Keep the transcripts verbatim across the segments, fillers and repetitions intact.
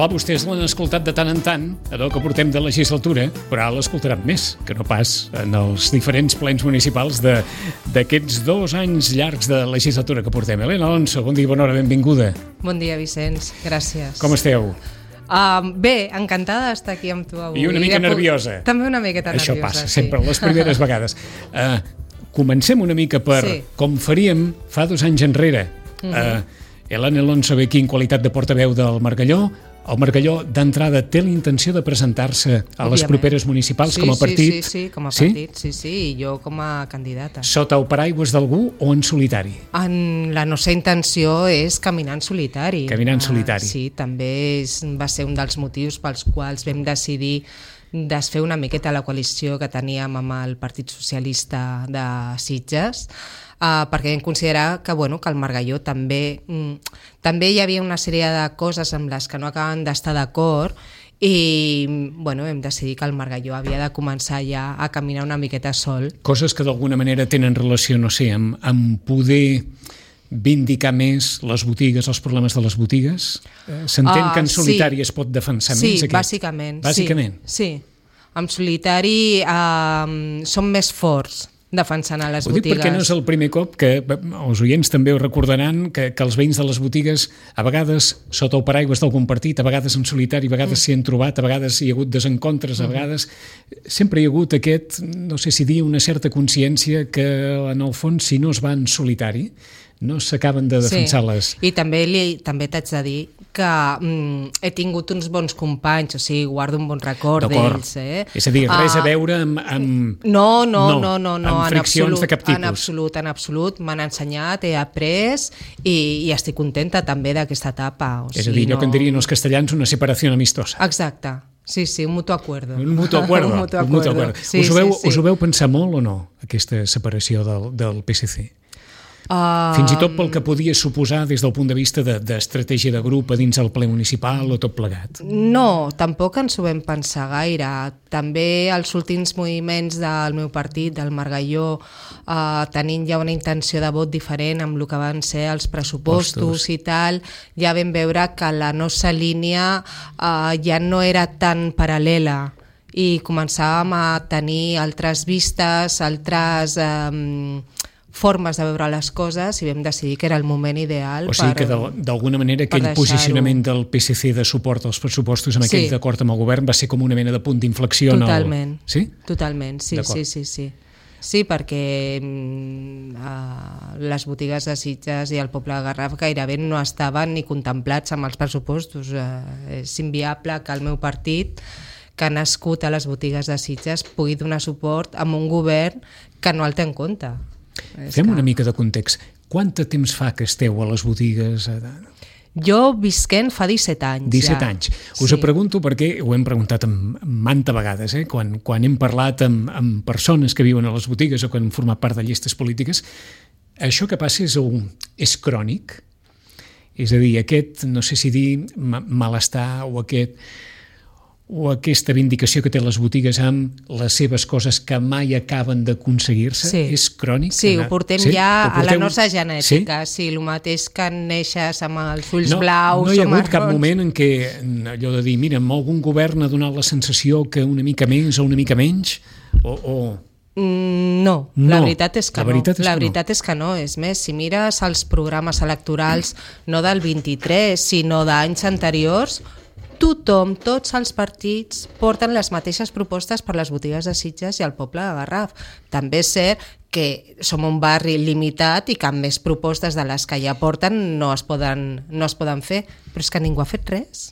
Clar, vostès l'han escoltat de tant en tant, allò que portem de legislatura, però ara l'escoltaran més, que no pas en els diferents plens municipals d'aquests dos anys llargs de legislatura que portem. Helena Alonso, bon dia, bona hora, benvinguda. Bon dia, Vicenç, gràcies. Com esteu? Uh, bé, encantada d'estar aquí amb tu avui. I una mica I nerviosa. També una miqueta Això nerviosa. Això passa, sí. sempre, les primeres vegades. Uh, comencem una mica per sí. com faríem fa dos anys enrere. Uh -huh. uh, Helena Alonso ve aquí en qualitat de portaveu del Margalló. El Margalló, d'entrada, té la intenció de presentar-se a Òbviament. les properes municipals sí, com a partit? Sí, sí, sí, com a partit, sí, sí, i jo com a candidata. Sota el paraigües d'algú o en solitari? En la nostra intenció és caminar en solitari. Caminar en solitari. Uh, sí, també és, va ser un dels motius pels quals vam decidir desfer una miqueta la coalició que teníem amb el Partit Socialista de Sitges, Uh, perquè vam considerar que, bueno, que el Margalló també, mm, també hi havia una sèrie de coses amb les que no acaben d'estar d'acord i bueno, vam decidir que el Margalló havia de començar ja a caminar una miqueta sol. Coses que d'alguna manera tenen relació, no sé, amb, amb poder vindicar més les botigues, els problemes de les botigues? S'entén uh, que en solitari sí. es pot defensar sí, més aquest? Bàsicament, bàsicament. Sí, sí. En solitari uh, som més forts defensant a les ho dic botigues. Perquè no és el primer cop que els oients també ho recordaran que, que els veïns de les botigues a vegades sota el paraigües d'algun partit, a vegades en solitari, a vegades s'hi mm. han trobat, a vegades hi ha hagut desencontres, a vegades sempre hi ha hagut aquest, no sé si dir, una certa consciència que en el fons si no es va en solitari no s'acaben de defensar sí. les... I també, li, també t'haig de dir que mm, he tingut uns bons companys, o sigui, guardo un bon record d'ells. Eh? És a dir, res uh, a veure amb... amb... No, no, no, no, no, amb friccions en absolut, de cap tipus. En absolut, en absolut. M'han ensenyat, he après i, i estic contenta també d'aquesta etapa. O és a dir, allò no... que en dirien els castellans, una separació amistosa. Exacte. Sí, sí, un mutuo acuerdo. Un mutuo acuerdo. un mutuo un mutuo acuerdo. Sí, us, ho veu, sí, sí. us ho veu pensar molt o no, aquesta separació del, del P S C? Uh, Fins i tot pel que podia suposar des del punt de vista d'estratègia de, de grup a dins el ple municipal o tot plegat? No, tampoc ens ho vam pensar gaire. També els últims moviments del meu partit, del Margalló, uh, tenint ja una intenció de vot diferent amb el que van ser els pressupostos Postos. i tal, ja vam veure que la nostra línia uh, ja no era tan paral·lela i començàvem a tenir altres vistes, altres... Um, formes de veure les coses i vam decidir que era el moment ideal. O sigui per, que d'alguna manera aquell posicionament del P S C de suport als pressupostos amb aquell sí. d'acord amb el govern va ser com una mena de punt d'inflexió. Totalment. El... Sí? Totalment, sí, sí, sí, sí. Sí, perquè uh, les botigues de Sitges i el poble de Garraf gairebé no estaven ni contemplats amb els pressupostos. Uh, és inviable que el meu partit, que ha nascut a les botigues de Sitges, pugui donar suport a un govern que no el té en compte. Fem una mica de context. Quant de temps fa que esteu a les botigues? Jo visquent fa disset anys. disset ja. anys. Us sí. ho pregunto perquè ho hem preguntat manta vegades, eh? quan, quan hem parlat amb, amb persones que viuen a les botigues o que han format part de llistes polítiques. Això que passa és, un, és crònic? És a dir, aquest, no sé si dir malestar o aquest... o aquesta vindicació que té les botigues amb les seves coses que mai acaben d'aconseguir-se, sí. és crònic? Sí, ho portem sí? ja ho porteu... a la nostra genètica, sí? sí, el mateix que neixes amb els ulls no, blaus. No hi ha hagut marrons. cap moment en què allò de dir, mira, algun govern ha donat la sensació que una mica més o una mica menys, o... o... Mm, no, no, la veritat és que la veritat no. És la que veritat no. és que no. És més, si mires els programes electorals no del vint-i-tres, sinó d'anys anteriors, tothom, tots els partits porten les mateixes propostes per les botigues de Sitges i al poble de Garraf. També és cert que som un barri limitat i que amb més propostes de les que ja porten no es poden, no es poden fer, però és que ningú ha fet res.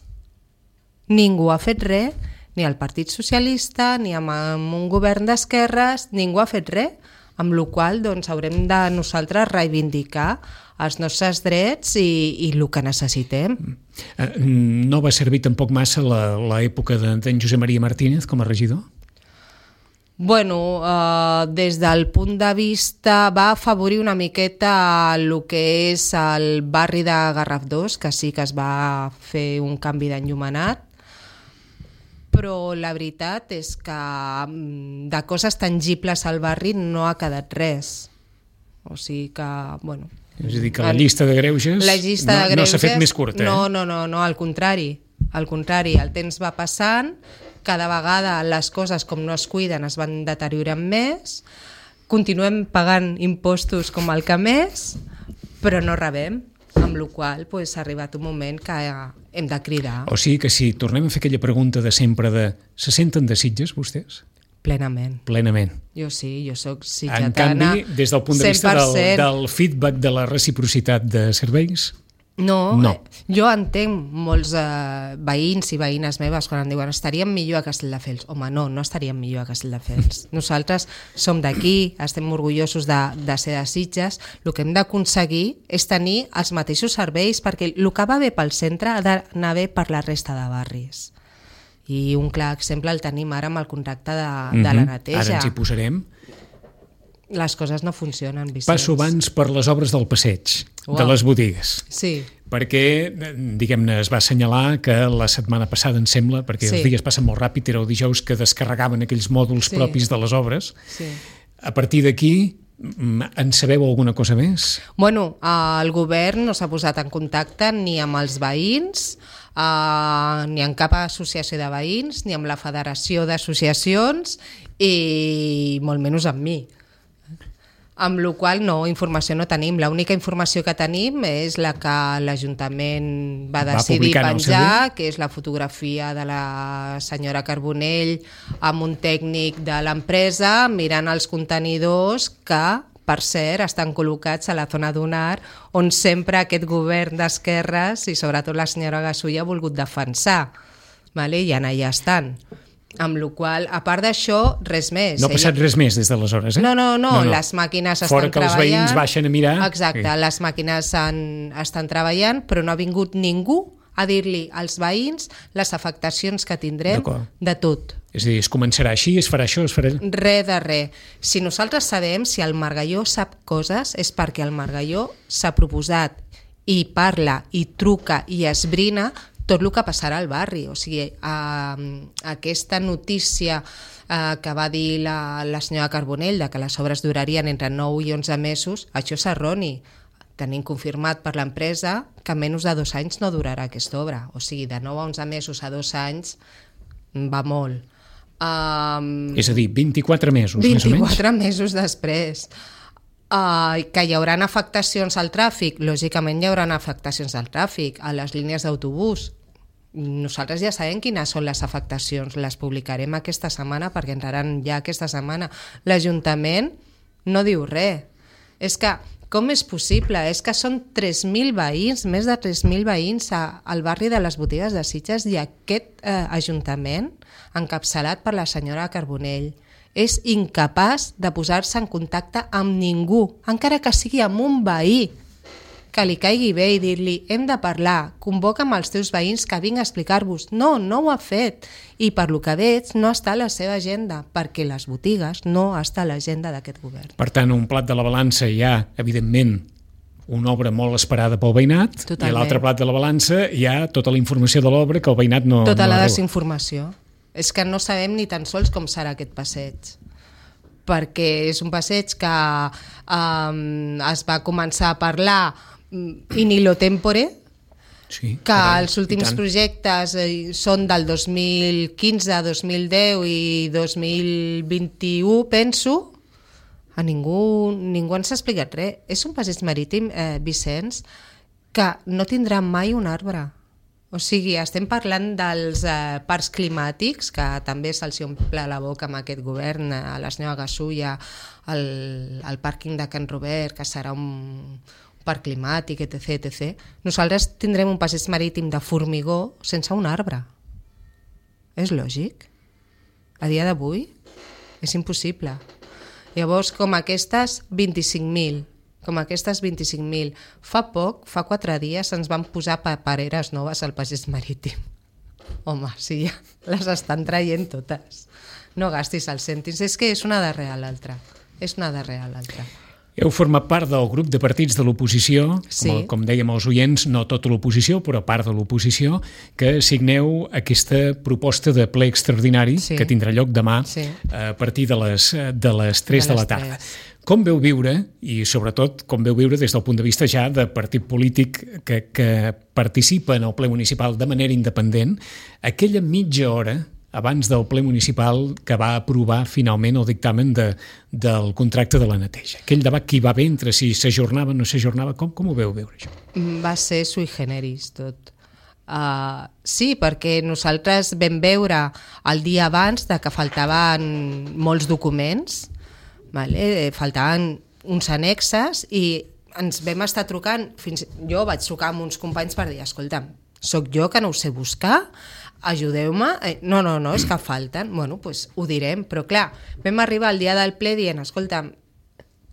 Ningú ha fet res, ni el Partit Socialista, ni amb un govern d'esquerres, ningú ha fet res, amb la qual cosa doncs, haurem de nosaltres reivindicar els nostres drets i, i el que necessitem. No va servir tampoc massa l'època d'en Josep Maria Martínez com a regidor? Bueno, eh, des del punt de vista va afavorir una miqueta el que és el barri de Garraf dos, que sí que es va fer un canvi d'enllumenat, però la veritat és que de coses tangibles al barri no ha quedat res. O sigui que, bueno... És a dir, que la llista de greuges, la llista no, de greuges no s'ha fet més curta. No, eh? no, no, no, al contrari. Al contrari, el temps va passant, cada vegada les coses com no es cuiden es van deteriorant més, continuem pagant impostos com el que més, però no rebem, amb la qual cosa pues, ha arribat un moment que hem de cridar. O sigui que si tornem a fer aquella pregunta de sempre de se senten de Sitges, vostès? Plenament. Plenament. Jo sí, jo soc sitgetana. En canvi, des del punt de vista cent per cent. del, del feedback de la reciprocitat de serveis... No, no. Jo entenc molts eh, veïns i veïnes meves quan em diuen estaríem millor a Castelldefels. Home, no, no estaríem millor a Castelldefels. Nosaltres som d'aquí, estem orgullosos de, de ser de Sitges. El que hem d'aconseguir és tenir els mateixos serveis, perquè el que va bé pel centre ha d'anar bé per la resta de barris. I un clar exemple el tenim ara amb el contracte de, mm-hmm. de la neteja. Ara ens hi posarem. Les coses no funcionen, Vicenç. Passo abans per les obres del passeig, wow. de les botigues. Sí. Perquè, diguem-ne, es va assenyalar que la setmana passada, em sembla, perquè sí. els dies passen molt ràpid, era el dijous que descarregaven aquells mòduls sí. propis de les obres. Sí. A partir d'aquí, en sabeu alguna cosa més? Bueno, el govern no s'ha posat en contacte ni amb els veïns, Uh, ni amb cap associació de veïns, ni amb la Federació d'Associacions i molt menys amb mi. Amb la qual no, informació no tenim. L'única informació que tenim és la que l'Ajuntament va decidir va penjar, que és la fotografia de la senyora Carbonell amb un tècnic de l'empresa mirant els contenidors que, per cert, estan col·locats a la zona d'Unar, on sempre aquest govern d'esquerres i sobretot la senyora Gasull ha volgut defensar. Vale? I allà estan. Amb la qual cosa, a part d'això, res més. No ha passat res més des d'aleshores, eh? No, no, no, no, no. Les màquines estan Fora que treballant. Els veïns baixen a mirar. Exacte, sí. Les màquines han, estan treballant, però no ha vingut ningú a dir-li als veïns les afectacions que tindrem de tot. És a dir, es començarà així, es farà això, es farà... Res de res. Si nosaltres sabem, si el Margalló sap coses, és perquè el Margalló s'ha proposat i parla, i truca, i esbrina tot el que passarà al barri. O sigui, eh, aquesta notícia eh, que va dir la, la senyora Carbonell de que les obres durarien entre nou i onze mesos, això és erroni. Tenim confirmat per l'empresa que menys de dos anys no durarà aquesta obra. O sigui, de nou a onze mesos a dos anys va molt. Um, és a dir, vint-i-quatre mesos, més o menys? vint-i-quatre mesos després. Uh, que hi haurà afectacions al tràfic? Lògicament hi haurà afectacions al tràfic, a les línies d'autobús. Nosaltres ja sabem quines són les afectacions, les publicarem aquesta setmana perquè entraran ja aquesta setmana. L'Ajuntament no diu res. És que, com és possible? És que són tres mil veïns, més de tres mil veïns a, al barri de les Botigues de Sitges i aquest eh, Ajuntament, encapçalat per la senyora Carbonell, és incapaç de posar-se en contacte amb ningú, encara que sigui amb un veí, que li caigui bé i dir-li hem de parlar, convoca amb els teus veïns que vinc a explicar-vos. No, no ho ha fet. I per lo que veig no està a la seva agenda, perquè les botigues no està a l'agenda d'aquest govern. Per tant, un plat de la balança hi ha, evidentment, una obra molt esperada pel veïnat, Totalment. I l'altre plat de la balança hi ha tota la informació de l'obra que el veïnat no... Tota no la desinformació. És que no sabem ni tan sols com serà aquest passeig, perquè és un passeig que um, es va començar a parlar in illo tempore, sí, que carai, els últims projectes són del dos mil quinze, dos mil deu i dos mil vint-i-u, penso. A ningú, ningú ens ha explicat res. És un passeig marítim, eh, Vicenç, que no tindrà mai un arbre. O sigui, estem parlant dels eh, parcs climàtics, que també se'ls omple la boca amb aquest govern, a la senyora Gasulla, el, el pàrquing de Can Robert, que serà un parc climàtic, etcètera, etcètera. Nosaltres tindrem un passeig marítim de formigó sense un arbre. És lògic? A dia d'avui és impossible. Llavors, com aquestes, vint-i-cinc mil. Com aquestes vint-i-cinc mil. Fa poc, fa quatre dies, ens van posar papereres noves al passeig marítim. Home, sí, ja les estan traient totes. No gastis els cèntims. És que és una darrere l'altra. És una darrere l'altra. Heu format part del grup de partits de l'oposició, sí. com, com dèiem els oients, no tota l'oposició, però part de l'oposició, que signeu aquesta proposta de ple extraordinari sí. que tindrà lloc demà sí. a partir de les, de les tres de, les de la tarda. tres. Com veu viure, i sobretot com veu viure des del punt de vista ja de partit polític que, que participa en el ple municipal de manera independent, aquella mitja hora abans del ple municipal que va aprovar finalment el dictamen de, del contracte de la neteja? Aquell debat que hi va haver entre si s'ajornava o no s'ajornava, com, com ho veu veure això? Va ser sui generis tot. Uh, sí, perquè nosaltres vam veure el dia abans de que faltaven molts documents, vale? Faltaven uns annexes i ens vam estar trucant, fins jo vaig trucar amb uns companys per dir, escolta'm, soc jo que no ho sé buscar, ajudeu-me, eh, no, no, no, és que falten, bueno, doncs ho direm, però clar, vam arribar al dia del ple dient, escolta'm,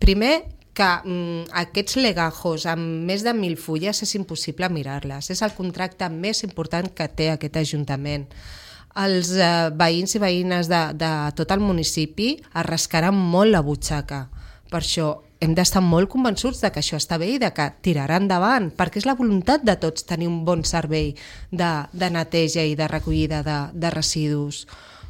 primer que mm, aquests legajos amb més de mil fulles és impossible mirar-les, és el contracte més important que té aquest Ajuntament. Els eh, veïns i veïnes de, de tot el municipi es rascaran molt la butxaca, per això hem d'estar molt convençuts de que això està bé i de que tirarà endavant, perquè és la voluntat de tots tenir un bon servei de, de neteja i de recollida de, de residus.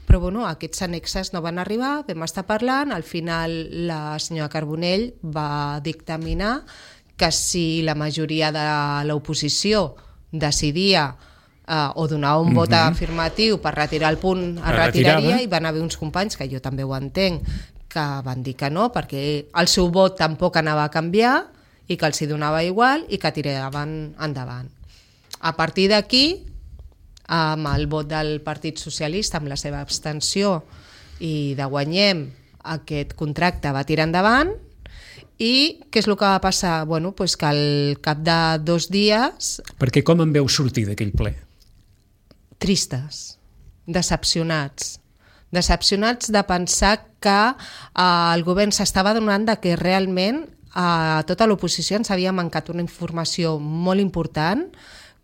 Però bueno, aquests annexes no van arribar, vam estar parlant, al final la senyora Carbonell va dictaminar que si la majoria de l'oposició decidia Uh, o donar un vot uh-huh. afirmatiu per retirar el punt, es retiraria, i van haver uns companys, que jo també ho entenc, que van dir que no, perquè el seu vot tampoc anava a canviar i que els hi donava igual i que tiraven endavant. A partir d'aquí, amb el vot del Partit Socialista, amb la seva abstenció i de Guanyem, aquest contracte va tirar endavant. I què és el que va passar? Bueno, pues que al cap de dos dies... Perquè com en veu sortir d'aquell ple? Tristes, decepcionats. Decepcionats de pensar que eh, el govern s'estava donant de que realment a tota l'oposició ens havia mancat una informació molt important,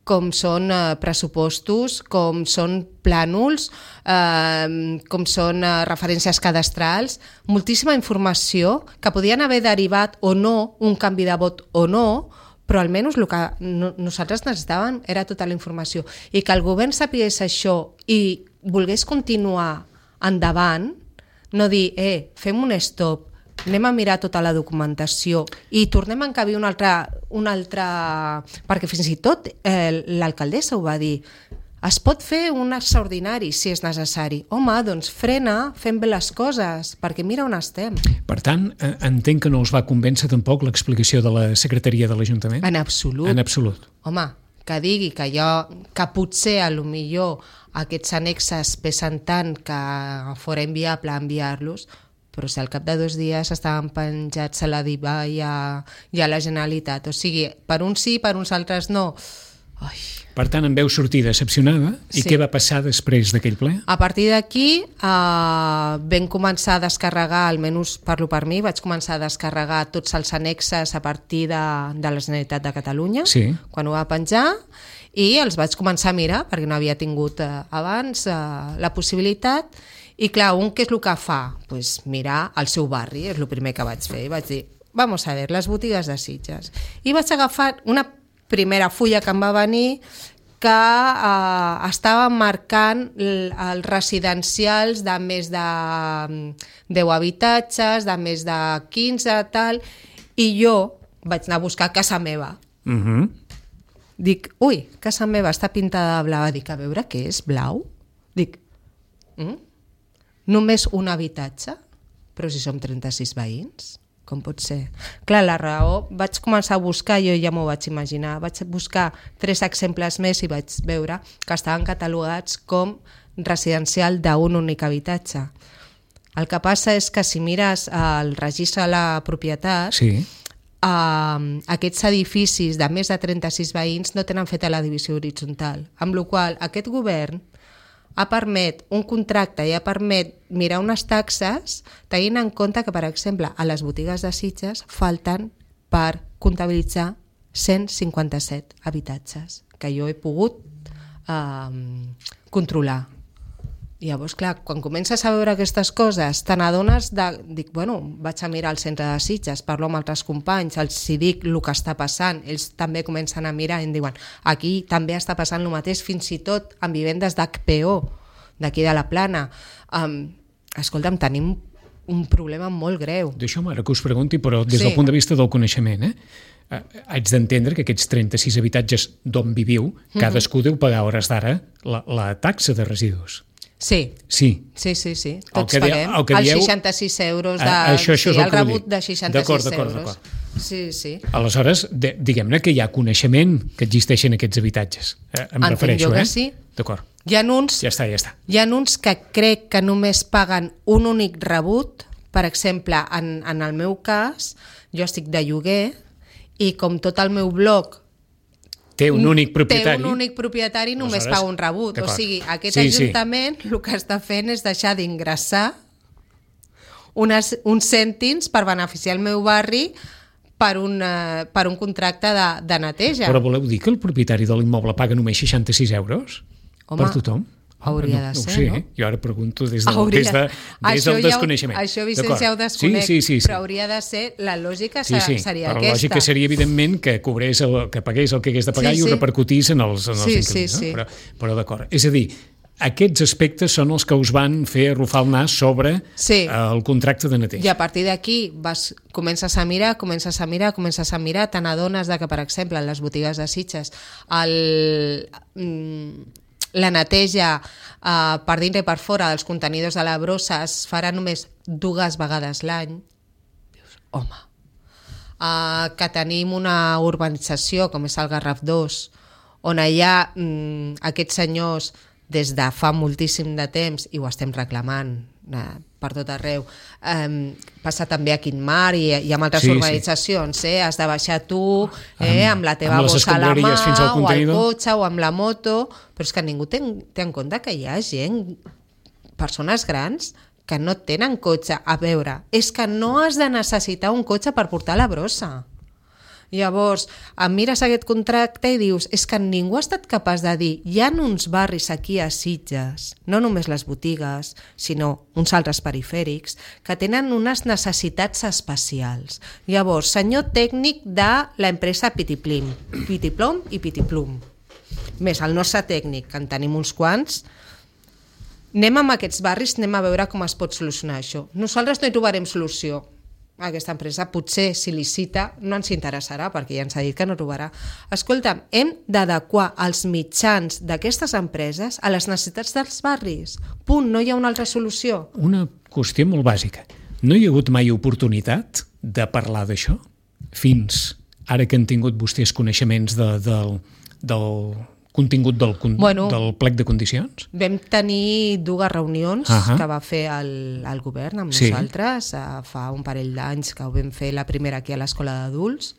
com són eh, pressupostos, com són plànols, eh, com són eh, referències cadastrals, moltíssima informació que podien haver derivat o no un canvi de vot o no, però almenys el que no, nosaltres necessitàvem era tota la informació. I que el govern sapigués això i volgués continuar endavant, no dir, eh, fem un stop, anem a mirar tota la documentació i tornem a encabir una altra, una altra... perquè fins i tot eh, l'alcaldessa ho va dir, es pot fer un extraordinari si és necessari. Home, doncs frena, fem bé les coses, perquè mira on estem. Per tant, entenc que no us va convèncer tampoc l'explicació de la secretaria de l'Ajuntament? En absolut. En absolut. Home, que digui que, jo, que potser a lo millor aquests annexes pesen tant que fora inviable enviar-los, però si al cap de dos dies estaven penjats a la DIVA i a, i a la Generalitat. O sigui, per uns sí, per uns altres no. Ai. Per tant, en veu sortir decepcionada. I sí. Què va passar després d'aquell ple? A partir d'aquí eh, vam començar a descarregar, almenys parlo per mi, vaig començar a descarregar tots els annexes a partir de, de la Generalitat de Catalunya, sí. Quan ho va penjar, i els vaig començar a mirar, perquè no havia tingut eh, abans eh, la possibilitat. I clar, un què és el que fa? Pues mirar el seu barri, és el primer que vaig fer. I vaig dir, vamos a ver, les botigues de Sitges. I vaig agafar una primera fulla que em va venir que eh, estava marcant els residencials de més de deu habitatges, de més de quinze, tal, i jo vaig anar a buscar casa meva. Uh-huh. Dic, ui, casa meva està pintada de blau. Dic, a veure què és, blau? Dic, mm? Només un habitatge? Però si som trenta-sis veïns? Com pot ser? Clar, la raó, vaig començar a buscar, jo ja m'ho vaig imaginar, vaig buscar tres exemples més i vaig veure que estaven catalogats com residencial d'un únic habitatge. El que passa és que si mires el registre de la propietat, sí. eh, aquests edificis de més de trenta-sis veïns no tenen feta la divisió horitzontal, amb la qual cosa aquest govern ha permet un contracte i ha permet mirar unes taxes tenint en compte que, per exemple, a les botigues de Sitges falten per comptabilitzar cent cinquanta-set habitatges que jo he pogut eh, controlar. I llavors, clar, quan comences a veure aquestes coses, te n'adones de... Dic, bueno, vaig a mirar al centre de Sitges, parlo amb altres companys, els hi dic el que està passant, ells també comencen a mirar i em diuen, aquí també està passant el mateix, fins i tot en vivendes d'H P O, d'aquí de la Plana. Um, escolta'm, tenim un problema molt greu. D'això m'ara que us pregunti, però des Sí. del punt de vista del coneixement, eh? Eh, haig d'entendre que aquests trenta-sis habitatges d'on viviu, cadascú deu pagar a hores d'ara la, la taxa de residus. Sí, Sí. sí, sí, sí. El Tots que di- paguem. el que Els dieu- seixanta-sis euros de... Ah, això- això és sí, el el que vull rebut dir. de seixanta-sis D'acord, d'acord, euros. d'acord. Sí, sí. Aleshores, de, diguem-ne que hi ha coneixement que existeixen aquests habitatges. Eh, em Entenc refereixo, jo que eh? sí. D'acord. Hi ha uns, Ja està, ja està. hi ha uns que crec que només paguen un únic rebut. Per exemple, en, en el meu cas, jo estic de lloguer i com tot el meu bloc Té un únic propietari. té un únic propietari i només Aleshores, paga un rebut. O d'acord. sigui, aquest Sí, sí. ajuntament el que està fent és deixar d'ingressar unes, uns cèntims per beneficiar el meu barri per un, eh, per un contracte de, de neteja. Però voleu dir que el propietari de l'immoble paga només seixanta-sis euros? Home, per tothom? hauria no, de no ser, ho sé, no? eh? Jo ara pregunto des, de, Hauria- des, de, des Això del ja ho- desconeixement. Això, Vicenç, D'acord. ja ho desconec, sí, sí, sí, sí. però hauria de ser, la lògica Sí, sí, seria però la aquesta. lògica seria, evidentment, que cobrés el, que pagués el que hagués de pagar Sí, i ho sí. repercutís en els, en els Sí, inquilins. sí, sí. No? Però, però d'acord. És a dir, aquests aspectes són els que us van fer arrufar el nas sobre Sí. eh, el contracte de neteja. I a partir d'aquí vas, comences a mirar, comences a mirar, comences a mirar, te n'adones de que, per exemple, en les botigues de Sitges el, mm, la neteja eh, per dintre i per fora dels contenidors de la brossa es farà només dues vegades l'any. Dius, home, uh, que tenim una urbanització com és el Garraf dos, on hi ha mm, aquests senyors des de fa moltíssim de temps, i ho estem reclamant eh, per tot arreu, eh, passa també a Quintmar i, i amb altres Sí, sí. organitzacions, eh? Has de baixar tu eh, amb, amb la teva amb les bossa a la mà escombraries fins al o al contenidor. cotxe o amb la moto, però és que ningú té, té en compte que hi ha gent, persones grans, que no tenen cotxe. A veure, és que no has de necessitar un cotxe per portar la brossa. Llavors, em mires aquest contracte i dius, és que ningú ha estat capaç de dir, hi ha uns barris aquí a Sitges, no només les botigues, sinó uns altres perifèrics, que tenen unes necessitats especials. Llavors, senyor tècnic de l'empresa Pitiplim, Pitiplom i Pitiplum, més el nostre tècnic, que en tenim uns quants, anem amb aquests barris, anem a veure com es pot solucionar això. Nosaltres no hi trobarem solució. Aquesta empresa potser si licita no ens interessarà perquè ja ens ha dit que no trobarà. Escolta'm, hem d'adequar els mitjans d'aquestes empreses a les necessitats dels barris. Punt, no hi ha una altra solució. Una qüestió molt bàsica. No hi ha hagut mai oportunitat de parlar d'això? Fins ara que han tingut vostès coneixements de, del, del contingut del, Bueno. del plec de condicions? Vam tenir dues reunions Ahà. que va fer el, el govern amb Sí. nosaltres, eh, fa un parell d'anys que ho vam fer la primera aquí a l'escola d'adults,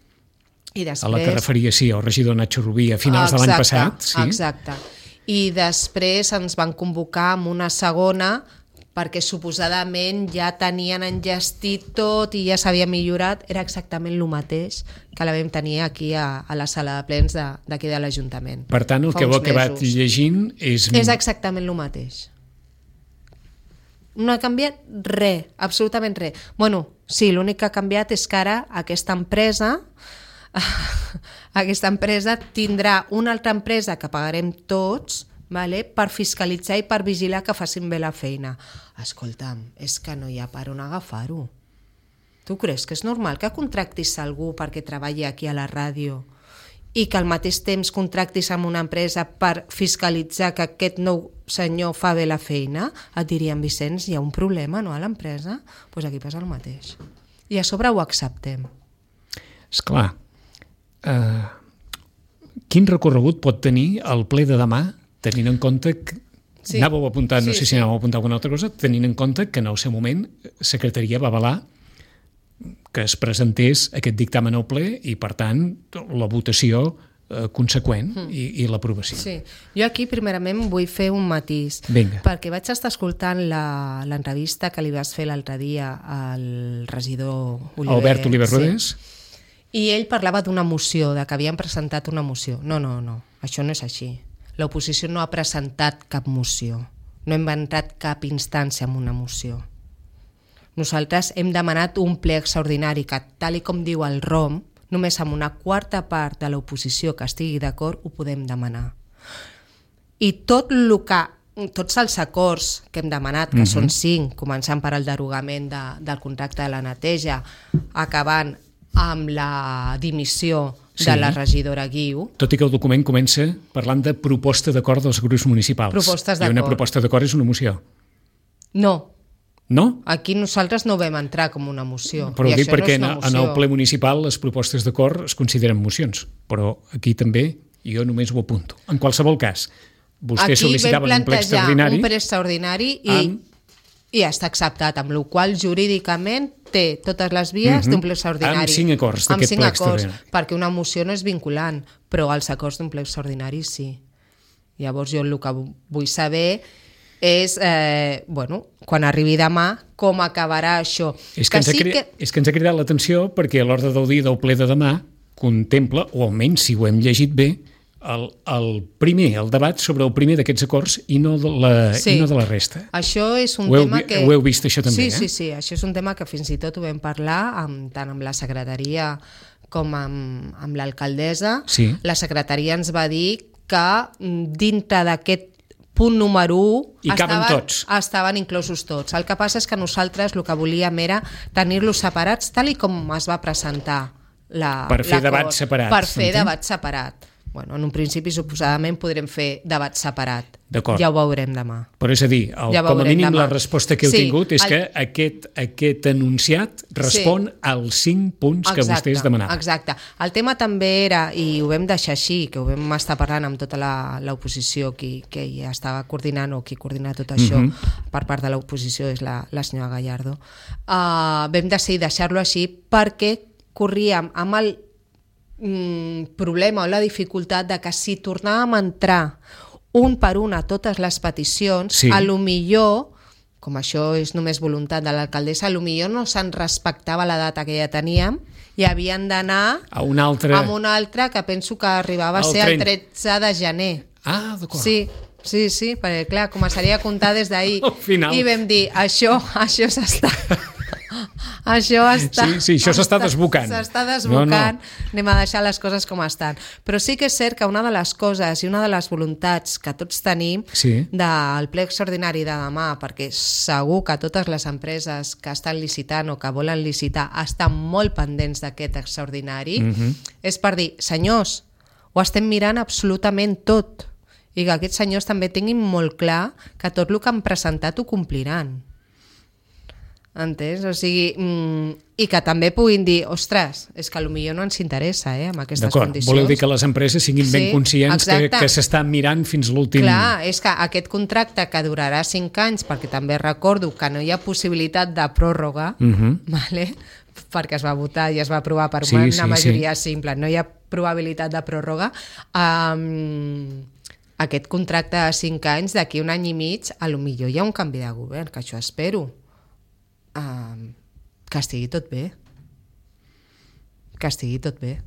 i després... A la que referia, sí, el regidor Nacho Rubí a finals de l'any passat. Sí. Exacte. I després ens van convocar amb una segona perquè suposadament ja tenien enllestit tot i ja s'havia millorat, era exactament el mateix que la vam tenir aquí a, a la sala de plens de- d'aquí de, de l'Ajuntament. Per tant, el Fa que heu uns acabat mesos. llegint és... És exactament el mateix. No ha canviat res, absolutament res. Bueno, sí, l'únic que ha canviat és que ara aquesta empresa aquesta empresa tindrà una altra empresa que pagarem tots, vale, per fiscalitzar i per vigilar que facin bé la feina. Escolta'm, és que no hi ha per on agafar-ho. Tu creus que és normal que contractis algú perquè treballi aquí a la ràdio i que al mateix temps contractis amb una empresa per fiscalitzar que aquest nou senyor fa bé la feina? Et dirien, Vicenç, hi ha un problema, no, a l'empresa? Doncs pues aquí passa el mateix. I a sobre ho acceptem. Esclar, uh, quin recorregut pot tenir el ple de demà, tenint en compte que... Sí. Anàveu a apuntar, no Sí, sé si sí. anàveu a apuntar alguna altra cosa, tenint en compte que en el seu moment Secretaria va avalar que es presentés aquest dictamen al ple i, per tant, la votació eh, conseqüent mm. i, i l'aprovació. Sí. Jo aquí, primerament, vull fer un matís. Vinga. Perquè vaig estar escoltant la- l'entrevista que li vas fer l'altre dia al regidor Oliver. Albert Oliver Sí. Rodés? I ell parlava d'una moció, de que havien presentat una moció. No, no, no, això no és així. L'oposició no ha presentat cap moció. No hem entrat cap instància en una moció. Nosaltres hem demanat un ple extraordinari que, tal i com diu el R O M, només amb una quarta part de l'oposició que estigui d'acord ho podem demanar. I tot el que tots els acords que hem demanat, que uh-huh. són cinc, començant per el derogament de, del contracte de la neteja, acabant amb la dimissió de sí. la regidora Guiu. Tot i que el document comença parlant de proposta d'acord dels grups municipals. Propostes d'acord. I una proposta d'acord és una moció. No. No? Aquí nosaltres no vam entrar com una moció. Però ho dic perquè no en el ple municipal les propostes d'acord es consideren mocions, però aquí també jo només ho apunto. En qualsevol cas, vostès sol·licitaven un ple extraordinari. Un ple extraordinari i, amb... i està acceptat, amb la qual jurídicament té totes les vies uh-huh. d'un ple extraordinari. Amb cinc acords d'aquest ple extraordinari. Perquè una moció no és vinculant, però els acords d'un ple extraordinari sí. Llavors jo el que vull saber és, eh, bueno, quan arribi demà, com acabarà això. És que, que, ens, sí ha cridat, que... és que ens ha cridat l'atenció perquè a l'ordre del dia del ple de demà contempla, o almenys si ho hem llegit bé, el, el primer, el debat sobre el primer d'aquests acords i no de la, sí. i no de la resta. Això és un ho heu, tema que... Ho heu vist, això també, sí, eh? Sí, sí, això és un tema que fins i tot ho vam parlar amb, tant amb la secretaria com amb, amb l'alcaldessa. Sí. La secretaria ens va dir que dintre d'aquest punt número u estaven, tots. estaven inclosos tots. El que passa és que nosaltres el que volíem era tenir-los separats tal i com es va presentar la, per fer debat separat. Per fer debat separat. Bueno, en un principi suposadament podrem fer debat separat. D'acord. Ja ho veurem demà. Però és a dir, el, ja com a mínim demà. La resposta que heu sí, tingut és el... que aquest, aquest enunciat respon sí. als cinc punts exacte, que vostès demanaven. Exacte. El tema també era, i ho vam deixar així, que ho vam estar parlant amb tota l'oposició qui, que ja estava coordinant o qui coordina tot això uh-huh. per part de l'oposició és la, la senyora Gallardo, uh, vam decidir deixar-lo així perquè corríem amb el mm, problema o la dificultat de que si tornàvem a entrar un per un a totes les peticions, sí. a lo millor, com això és només voluntat de l'alcaldessa, a lo millor no se'n respectava la data que ja teníem i havien d'anar a un altre... amb una altra que penso que arribava a ser el tretze de gener. Ah, d'acord. Sí, sí, sí, perquè clar, començaria a comptar des d'ahir. I vam dir, això, això s'està... Això està... Sí, sí, això s'està desbocant. S'està desbocant, no, no. Anem a deixar les coses com estan. Però sí que és cert que una de les coses i una de les voluntats que tots tenim sí. del ple extraordinari de demà, perquè segur que totes les empreses que estan licitant o que volen licitar estan molt pendents d'aquest extraordinari, uh-huh. és per dir, senyors, ho estem mirant absolutament tot i que aquests senyors també tinguin molt clar que tot el que han presentat ho compliran. Entens? O sigui, mm, i que també puguin dir, ostres, és que potser no ens interessa, eh, amb aquestes D'acord. condicions. Voleu dir que les empreses siguin sí, ben conscients que, que s'estan mirant fins l'últim... Clar, és que aquest contracte que durarà cinc anys, perquè també recordo que no hi ha possibilitat de pròrroga, uh-huh. vale? Perquè es va votar i es va aprovar per sí, una sí, majoria sí. simple, no hi ha probabilitat de pròrroga, um, aquest contracte de cinc anys, d'aquí un any i mig, a lo millor hi ha un canvi de govern, que això espero. Uh, que estigui tot bé. Que estigui tot bé.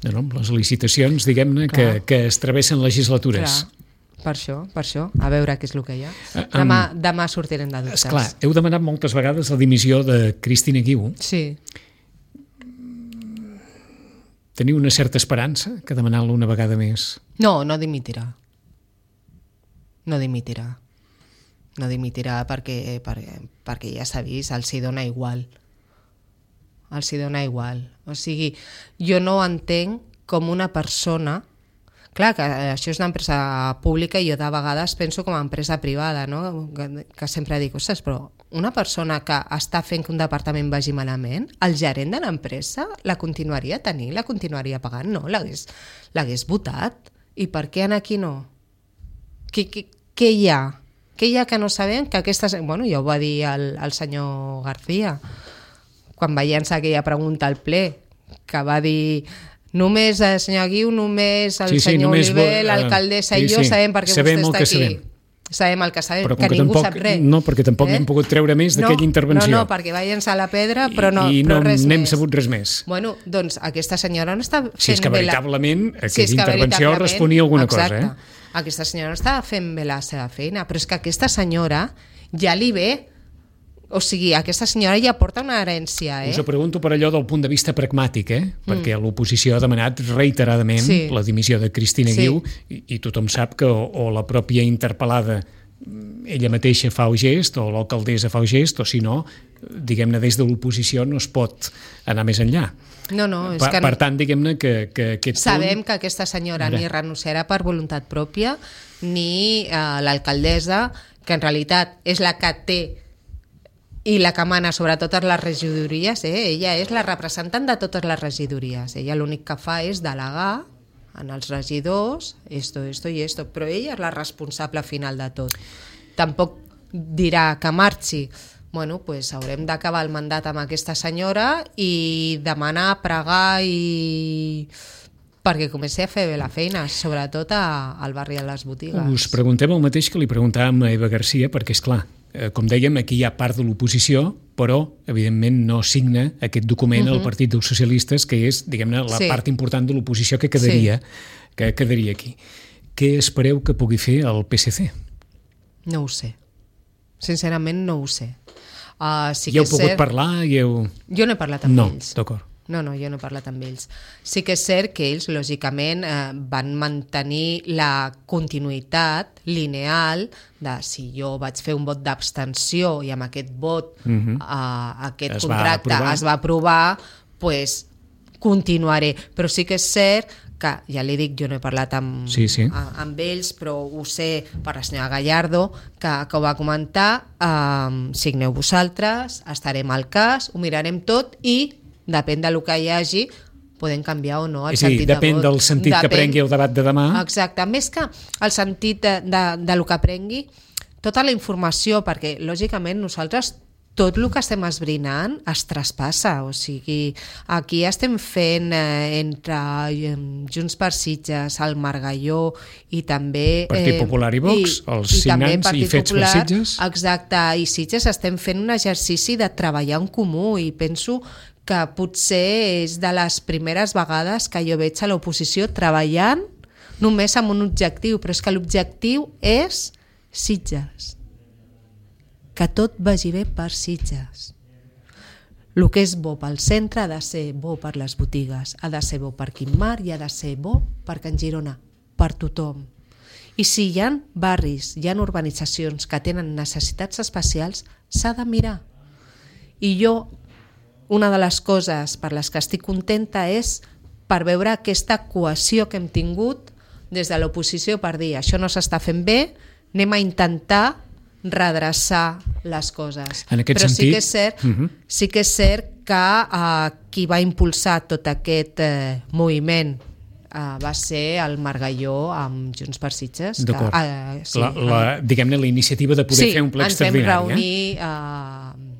No, no, les licitacions, diguem-ne, que, que es travessen legislatures. Clar, per això, per això, a veure què és el que hi ha. Uh, um, demà, demà sortirem de dubtes. Esclar, heu demanat moltes vegades la dimissió de Cristina Guiu. Sí. Teniu una certa esperança que demanant-la una vegada més? No, no dimitirà. No dimitirà. No dimitirà perquè, perquè, perquè ja s'ha vist, els hi dona igual. Els hi dona igual. O sigui, jo no entenc com una persona... Clar, que això és una empresa pública i jo de vegades penso com a empresa privada, no? Que, que sempre dic, ostres, però una persona que està fent que un departament vagi malament, el gerent de l'empresa la continuaria tenint, la continuaria pagant? No, l'hagués, l'hagués votat. I per què aquí no? Què, què, què hi ha? Què hi ha que no sabem? Que aquestes... Bueno, ja ho va dir el, el senyor García, quan va llançar aquella pregunta al ple, que va dir... Només el senyor Guiu, només el sí, sí, senyor només Oliver, l'alcaldessa sí, i jo sí. sabem per què sabem vostè està aquí. Sabem. sabem el que sabem, però que, que ningú tampoc, sap res. No, perquè tampoc eh? n'hem pogut treure més d'aquella no, intervenció. No, no, perquè va llançar la pedra, però no, I, i però no res n'hem més. sabut res més. Bueno, doncs aquesta senyora no està fent si és que veritablement la... aquella si és que intervenció responia a alguna exacte, cosa. Eh? Aquesta senyora no està fent bé la seva feina, però és que aquesta senyora ja li ve O sigui, aquesta senyora ja porta una herència, eh? Us ho pregunto per allò del punt de vista pragmàtic, eh? Perquè mm. l'oposició ha demanat reiteradament sí. la dimissió de Cristina sí. Guiu i, i tothom sap que o, o la pròpia interpel·lada ella mateixa fa el gest o l'alcaldessa fa el gest, o si no, diguem-ne, des de l'oposició no es pot anar més enllà. No, no, és per, que... Per tant, diguem-ne que, que aquest Sabem punt... que aquesta senyora Mira. ni renunciarà per voluntat pròpia, ni eh, l'alcaldessa, que en realitat és la que té i la que mana sobre totes les regidories, eh? Ella és la representant de totes les regidories. Ella l'únic que fa és delegar en els regidors, esto, esto i esto, però ella és la responsable final de tot. Tampoc dirà que marxi. Bueno, pues haurem d'acabar el mandat amb aquesta senyora i demanar, pregar i... perquè comenci a fer bé la feina, sobretot a, al barri de les botigues. Us preguntem el mateix que li preguntàvem a Eva Garcia, perquè, és clar, com dèiem, aquí hi ha part de l'oposició, però, evidentment, no signa aquest document uh-huh. el Partit dels Socialistes, que és, diguem-ne, la sí. part important de l'oposició que quedaria, sí. que quedaria aquí. Què espereu que pugui fer el P S C? No ho sé. Sincerament, no ho sé. Uh, sí ja que heu pogut cert... parlar? I heu... Jo no he parlat amb no, ells. D'acord. No, no, jo no he parlat amb ells. Sí que és cert que ells, lògicament, eh, van mantenir la continuïtat lineal de si jo vaig fer un vot d'abstenció i amb aquest vot uh-huh. eh, aquest es contracte va es va aprovar, pues continuaré. Però sí que és cert que, ja li dic, jo no he parlat amb, sí, sí. a, amb ells, però ho sé per la senyora Gallardo, que, que ho va comentar, eh, signeu vosaltres, estarem al cas, ho mirarem tot i depèn del que hi hagi, podem canviar o no el és a dir, sentit depèn de vot. del sentit depèn... que prengui el debat de demà. Exacte, més que el sentit de, de, de lo que prengui, tota la informació, perquè lògicament nosaltres tot el que estem esbrinant es traspassa, o sigui, aquí estem fent eh, entre eh, Junts per Sitges, el Margalló i també... Eh, Partit Popular i Vox, i, els i signants i fets Popular, per Sitges. Exacte, i Sitges estem fent un exercici de treballar en comú i penso que potser és de les primeres vegades que jo veig a l'oposició treballant només amb un objectiu, però és que l'objectiu és Sitges. Que tot vagi bé per Sitges. El que és bo pel centre ha de ser bo per les botigues, ha de ser bo per Quim Mar i ha de ser bo per Can Girona, per tothom. I si hi ha barris, hi ha urbanitzacions que tenen necessitats especials, s'ha de mirar. I jo, una de les coses per les que estic contenta és per veure aquesta cohesió que hem tingut des de l'oposició per dir això no s'està fent bé, anem a intentar redreçar les coses. En aquest Però sentit... sí que és cert, uh-huh. sí que, és cert que uh, qui va impulsar tot aquest uh, moviment uh, va ser el Margalló amb Junts per Sitges. D'acord. Que, uh, sí, la, la, diguem-ne, la iniciativa de poder sí, fer un ple extraordinari. Sí, ens vam reunir... Eh? Uh,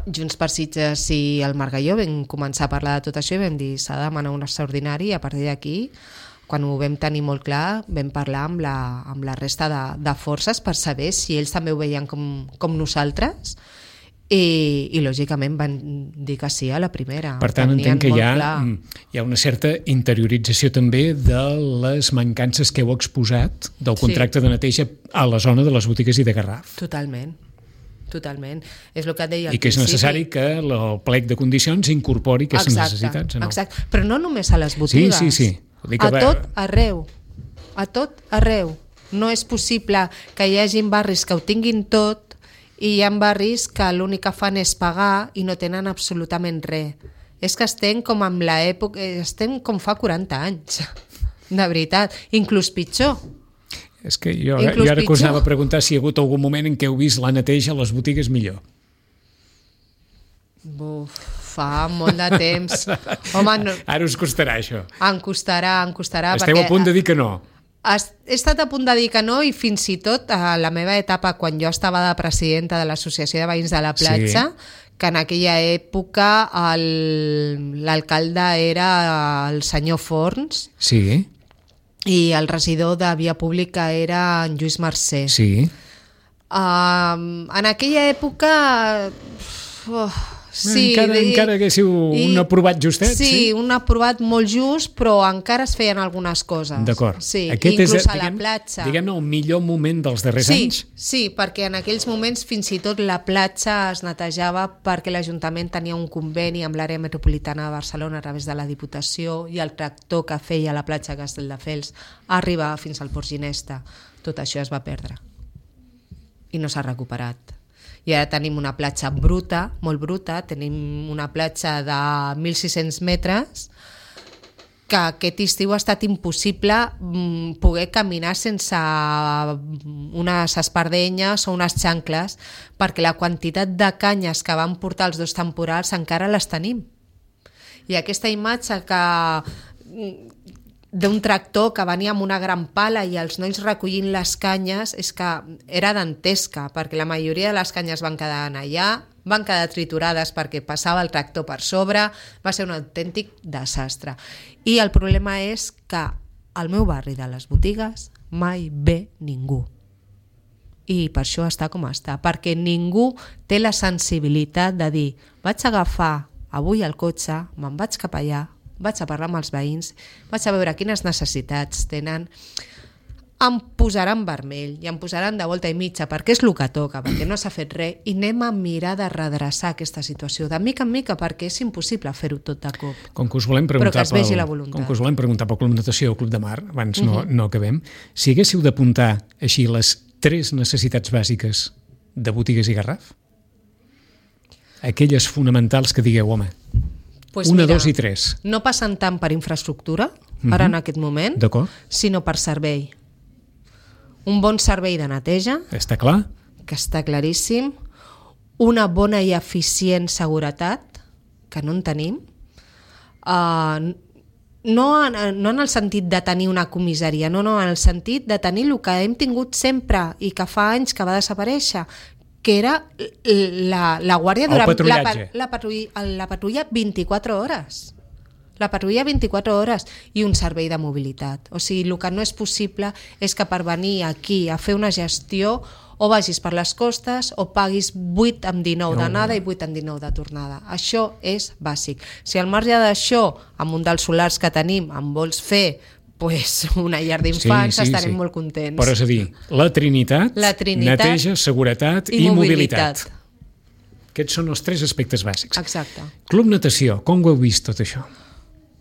Junts per Sitges i el Margalló vam començar a parlar de tot això i vam dir s'ha de demanar un extraordinari i a partir d'aquí, quan ho vam tenir molt clar, vam parlar amb la, amb la resta de, de forces per saber si ells també ho veien com, com nosaltres i, i lògicament van dir que sí a la primera. Per tant, entenc que hi ha, hi ha una certa interiorització també de les mancances que heu exposat del contracte sí. de neteja a la zona de les botigues i de Garraf. Totalment. Totalment. És el que et deia al I que és principi. necessari que el plec de condicions incorpori aquestes exacte, necessitats. No? Exacte, però no només a les botigues. Sí, sí, sí. A tot arreu. A tot arreu. No és possible que hi hagi barris que ho tinguin tot i hi ha barris que l'únic que fan és pagar i no tenen absolutament res. És que estem com amb l'època... Estem com fa quaranta anys. De veritat. Inclús pitjor. És que jo, jo ara que us anava a preguntar si hi ha hagut algun moment en què heu vist la neteja a les botigues millor. Buf, fa molt de temps. Home, no, ara us costarà això. Em costarà, em costarà. Esteu a punt de dir que no. He estat a punt de dir que no i fins i tot a la meva etapa quan jo estava de presidenta de l'Associació de Veïns de la Platja, sí. que en aquella època l'alcalde era el senyor Forns. Sí. I el regidor de Via Pública era en Lluís Mercè. Sí. Uh, en aquella època, oh, Sí, encara, i, encara haguéssiu i, un aprovat justet. Sí, sí, un aprovat molt just, però encara es feien algunes coses. D'acord. Sí, Aquest inclús és, a la diguem, platja. Diguem-ne, el millor moment dels darrers sí, anys. Sí, perquè en aquells moments fins i tot la platja es netejava perquè l'Ajuntament tenia un conveni amb l'àrea metropolitana de Barcelona a través de la Diputació i el tractor que feia la platja Castelldefels arribava fins al Port Ginesta. Tot això es va perdre i no s'ha recuperat. I ara tenim una platja bruta, molt bruta, tenim una platja de mil sis-cents metres que aquest estiu ha estat impossible poder caminar sense unes espardenyes o unes xancles perquè la quantitat de canyes que van portar els dos temporals encara les tenim. I aquesta imatge que d'un tractor que venia amb una gran pala i els nois recollint les canyes és que era dantesca, perquè la majoria de les canyes van quedar allà, van quedar triturades perquè passava el tractor per sobre, va ser un autèntic desastre. I el problema és que al meu barri de les botigues mai ve ningú. I per això està com està, perquè ningú té la sensibilitat de dir vaig agafar avui el cotxe, me'n vaig cap allà, vaig a parlar amb els veïns, vaig a veure quines necessitats tenen, em posaran vermell i em posaran de volta i mitja perquè és el que toca, perquè no s'ha fet res i anem a mirar de redreçar aquesta situació de mica en mica perquè és impossible fer-ho tot de cop. Com que us volem preguntar, però que es vegi pel, la voluntat. Com que us volem preguntar pel Club Natació o Club de Mar, abans no, uh-huh. no acabem, si haguéssiu d'apuntar així les tres necessitats bàsiques de botigues i Garraf, aquelles fonamentals que digueu, home, Pues una, mira, dos i tres. No passen tant per infraestructura, uh-huh. ara en aquest moment, sinó per servei. Un bon servei de neteja, està clar, que està claríssim, una bona i eficient seguretat, que no en tenim, uh, no, en, no en el sentit de tenir una comissaria, no, no, en el sentit de tenir el que hem tingut sempre i que fa anys que va desaparèixer, que era la, la guàrdia durant la, la, patrulla, la patrulla vint-i-quatre hores. La patrulla vint-i-quatre hores i un servei de mobilitat. O sigui, el que no és possible és que per venir aquí a fer una gestió o vagis per les costes o paguis vuit amb dinou d'anada i vuit amb dinou de tornada. Això és bàsic. Si al marge d'això, amb un dels solars que tenim, en vols fer pues una llar d'infants, sí, sí, estarem sí. molt contents. Però és a dir, la Trinitat, la Trinitat neteja, seguretat i, i mobilitat. mobilitat. Aquests són els tres aspectes bàsics. Exacte. Club Natació, com ho heu vist tot això?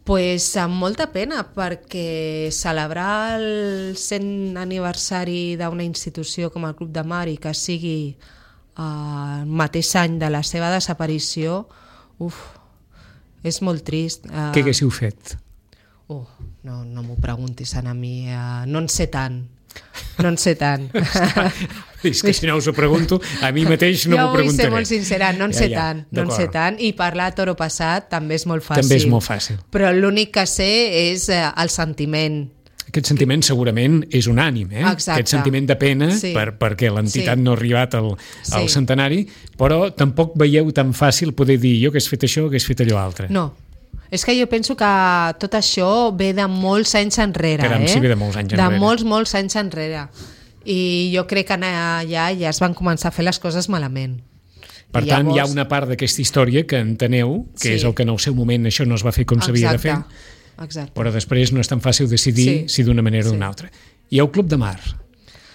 Pues amb molta pena, perquè celebrar el cent aniversari d'una institució com el Club de Mar i que sigui eh, el mateix any de la seva desaparició, uf, és molt trist. Eh, Què haguéssiu fet? Oh, no, no m'ho preguntis a mi, uh, no en sé tant, no en sé tant. És que si no us ho pregunto, a mi mateix no m'ho preguntaré. Jo vull ser molt sincera, no en ja, sé ja, tant, no en sé tant, i parlar a toro passat també és molt fàcil. També és molt fàcil. Però l'únic que sé és uh, el sentiment. Aquest sentiment segurament és unànime, eh? Exacte. Aquest sentiment de pena sí. per, perquè l'entitat sí. no ha arribat al, al sí. centenari, però tampoc veieu tan fàcil poder dir jo hagués fet això o hagués fet allò altre. No. És que jo penso que tot això ve de molts anys enrere. Caram, eh? sí, ve de molts anys enrere. De molts, molts anys enrere. I jo crec que allà ja es van començar a fer les coses malament. Per I tant, llavors... hi ha una part d'aquesta història que enteneu, que sí. és el que en el seu moment això no es va fer com s'havia de fer, exacte. Però després no és tan fàcil decidir sí. si d'una manera o d'una sí. altra. I el Club de Mar?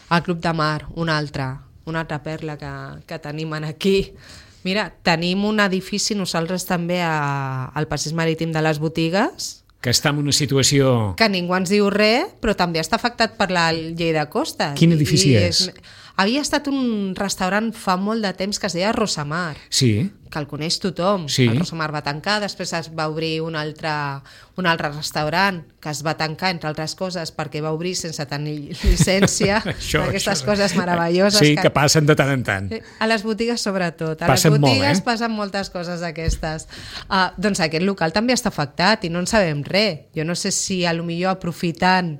El Club de Mar, una altra, una altra perla que, que tenim aquí. Mira, tenim un edifici nosaltres també a, al passeig marítim de les botigues. Que està en una situació... Que ningú ens diu res, però també està afectat per la llei de costes. Quin edifici I és? és? Havia estat un restaurant fa molt de temps que es deia Rosamar. Sí. Que el coneix tothom. Sí. El Rosamar va tancar, després es va obrir un altre, un altre restaurant que es va tancar, entre altres coses, perquè va obrir sense tenir llicència. això, aquestes això. coses meravelloses. Sí, que, que passen de tant en tant. A les botigues sobretot. A passen les botigues molt, eh? passen moltes coses d'aquestes. Uh, doncs aquest local també està afectat i no en sabem res. Jo no sé si a lo millor aprofitant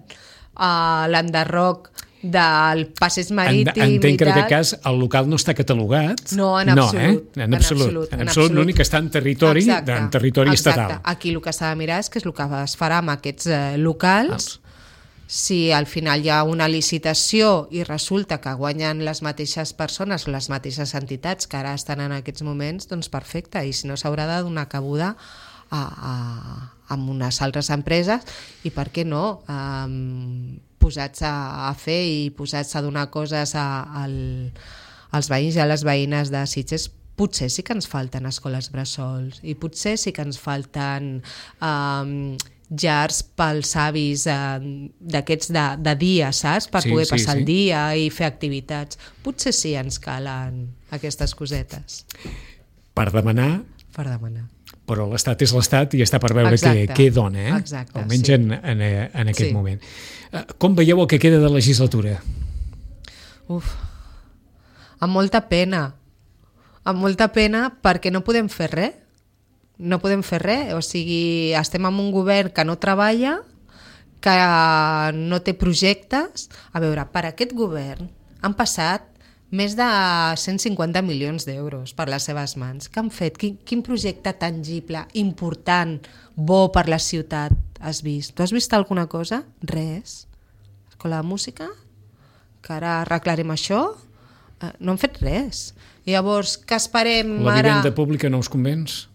uh, l'enderroc del passeig marítim Entenc que en aquest cas el local no està catalogat. No, en absolut. No, eh? En absolut. En absolut, l'únic que està en territori, exacte, en territori exacte. estatal. Aquí el que s'ha de mirar és que és el que es farà amb aquests eh, locals, si al final hi ha una licitació i resulta que guanyen les mateixes persones o les mateixes entitats que ara estan en aquests moments, doncs perfecte, i si no s'haurà de donar cabuda a, a, a unes altres empreses i per què no, um, posats a, a fer i posats a donar coses a, al, als veïns i a les veïnes de Sitges. Potser sí que ens falten escoles bressols i potser sí que ens falten um, llars pels avis eh, d'aquests de, de dia, saps? Per sí, poder sí, passar sí. el dia i fer activitats. Potser sí ens calen aquestes cosetes. Per demanar, Per demanar. però l'Estat és l'Estat i està per veure què, Exacte. què dona, eh? Exacte, almenys sí. en, en, en aquest Sí. moment. Eh, Com veieu el que queda de legislatura? Uf, amb molta pena. Amb molta pena perquè no podem fer res. No podem fer res, o sigui, estem en un govern que no treballa, que no té projectes. A veure, per aquest govern han passat més de cent cinquanta milions d'euros per les seves mans. Què han fet? Quin, quin projecte tangible, important, bo per la ciutat has vist? Tu has vist alguna cosa? Res. Escola de música? Que ara arreglarem això? Eh, no han fet res. I llavors, què esperem La ara? vivenda pública no us convenç?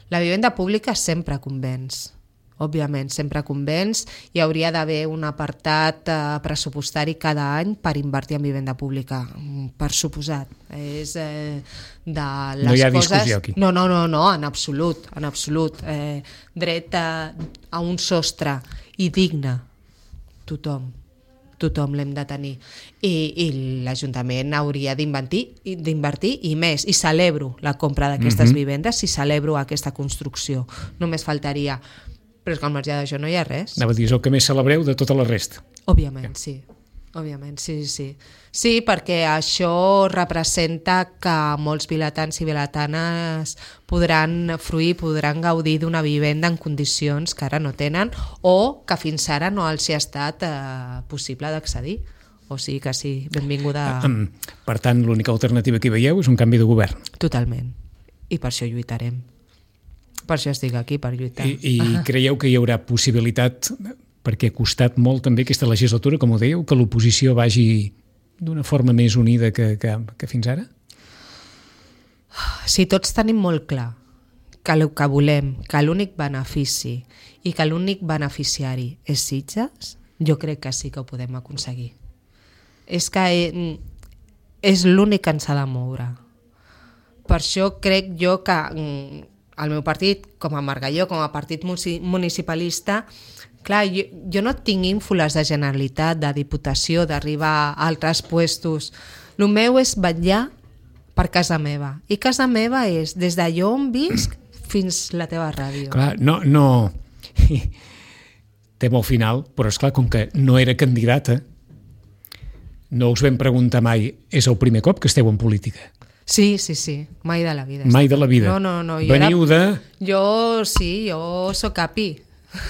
La vivenda pública sempre convenç, òbviament, sempre convenç. Hi hauria d'haver un apartat eh, pressupostari cada any per invertir en vivenda pública, per suposat. És eh, de les No hi ha coses... discussió aquí. No, no, no, no, en absolut, en absolut. Eh, dret a, a un sostre i digne, tothom. Tothom l'hem de tenir. I, i l'Ajuntament hauria d'invertir d'invertir i més. I celebro la compra d'aquestes Mhm. vivendes i celebro aquesta construcció. Només faltaria. Però és que al marge d'això no hi ha res. Anava a dir, és el que més celebreu de tota la resta. Òbviament, sí. Òbviament, sí, sí. Sí, perquè això representa que molts vilatans i vilatanes podran fruir, podran gaudir d'una vivenda en condicions que ara no tenen o que fins ara no els hi ha estat eh, possible d'accedir. O sigui que sí, benvinguda Um, per tant, l'única alternativa que hi veieu és un canvi de govern. totalment. I per això lluitarem. Per això estic aquí, per lluitar. I, i creieu que hi haurà possibilitat, perquè ha costat molt també aquesta legislatura, com ho dèieu, que l'oposició vagi d'una forma més unida que, que, que fins ara? Si tots tenim molt clar que el que volem, que l'únic benefici i que l'únic beneficiari és Sitges, jo crec que sí que ho podem aconseguir. És que és l'únic que ens ha de moure. Per això crec jo que el meu partit, com a Margalló, com a partit municipalista, clar, jo, jo no tinc ínfoles de Generalitat, de Diputació, d'arribar a altres puestos. El meu és vetllar per casa meva. I casa meva és des d'allò on visc fins la teva ràdio. Clar, no... no... Té molt final, però és clar, com que no era candidata, no us vam preguntar mai, és el primer cop que esteu en política? Sí, sí, sí, mai de la vida. Mai de la vida. No, no, no. Jo Veniu era... de... Jo sí, jo sóc capi.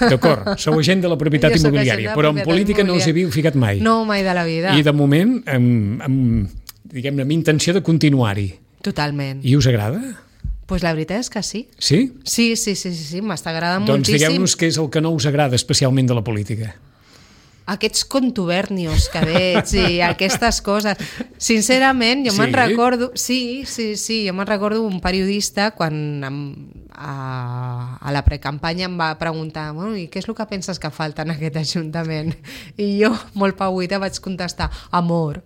D'acord, sou agent de la propietat Jo sóc immobiliària, agent de la però en propietat política no us hi immobiliària. havíeu ficat mai. No, mai de la vida. I de moment, amb, amb, diguem-ne, amb intenció de continuar-hi. Totalment. I us agrada? Pues la veritat és que sí. Sí? Sí, sí, sí, sí, sí m'està agradant Doncs moltíssim. digueu-nos què és el que no us agrada especialment de la política. Aquests contubernios que veig i aquestes coses. Sincerament, jo Sí? me'n recordo... Sí, sí, sí, jo me'n recordo un periodista quan em, a, a la precampanya em va preguntar bueno, i què és el que penses que falta en aquest Ajuntament? I jo, molt pauita, vaig contestar amor.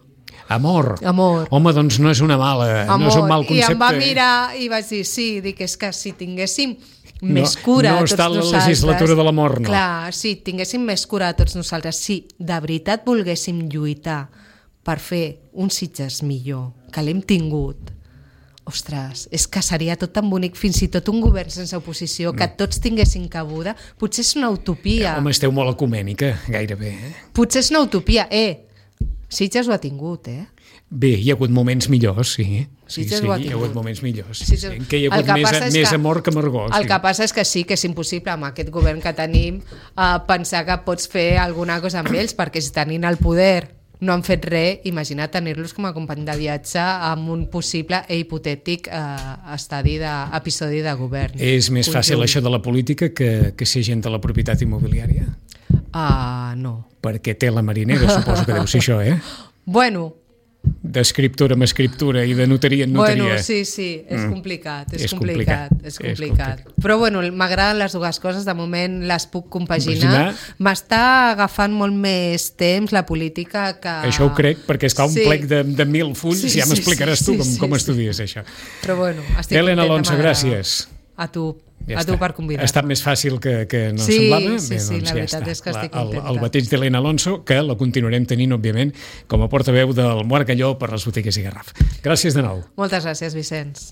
Amor. Amor. Home, doncs no és una mala, Amor. no és un mal I concepte. em va mirar i vaig dir, sí, dic, és que si tinguéssim més cura no a tots està la nosaltres... legislatura de l'amor, no. Clar, si tinguéssim més cura a tots nosaltres, si de veritat volguéssim lluitar per fer un Sitges millor, que l'hem tingut, ostres, és que seria tot tan bonic, fins i tot un govern sense oposició, que tots tinguessin cabuda, potser és una utopia. Home, esteu molt ecumènica, gairebé. Eh? Potser és una utopia. Eh, Sitges ho ha tingut, eh? Bé, hi ha hagut moments millors, sí. Sí, Sitges sí, ho ha hi ha tingut. hagut moments millors. Sí, Sí, sí. sí. Que hi ha El hagut que més, passa és més que- amor que amargor. El sí. que passa és que sí que és impossible amb aquest govern que tenim uh, pensar que pots fer alguna cosa amb ells, perquè si tenint el poder no han fet res, imagina tenir-los com a company de viatge amb un possible e hipotètic uh, estadi de, episodi de govern. És més Conjunt. fàcil això de la política que, que ser gent de la propietat immobiliària? Ah, no. Perquè té la marinera, suposo que deu ser això, eh? Bueno... D'escriptura amb escriptura i de notaria en notaria. Bueno, sí, sí, és mm. complicat, és, és complicat, complicat, és complicat. És complicat. Però bueno, m'agraden les dues coses, de moment les puc compaginar. M'està agafant molt més temps la política que... Això ho crec, perquè està un sí. plec de, de mil fulls, sí, ja m'explicaràs sí, tu com, sí, com sí, estudies sí. això. Però bueno, estic Elena Alonso, gràcies. A tu. Ja a tu per convidar-me. Ha estat més fàcil que, que no sí, semblava. Sí, Bé, sí, doncs la ja veritat està. és que estic la, el, contenta. el bateig d'Elena Alonso, que la continuarem tenint, òbviament, com a portaveu del Moarcalló per les botigues i Garraf. Gràcies de nou. Moltes gràcies, Vicenç.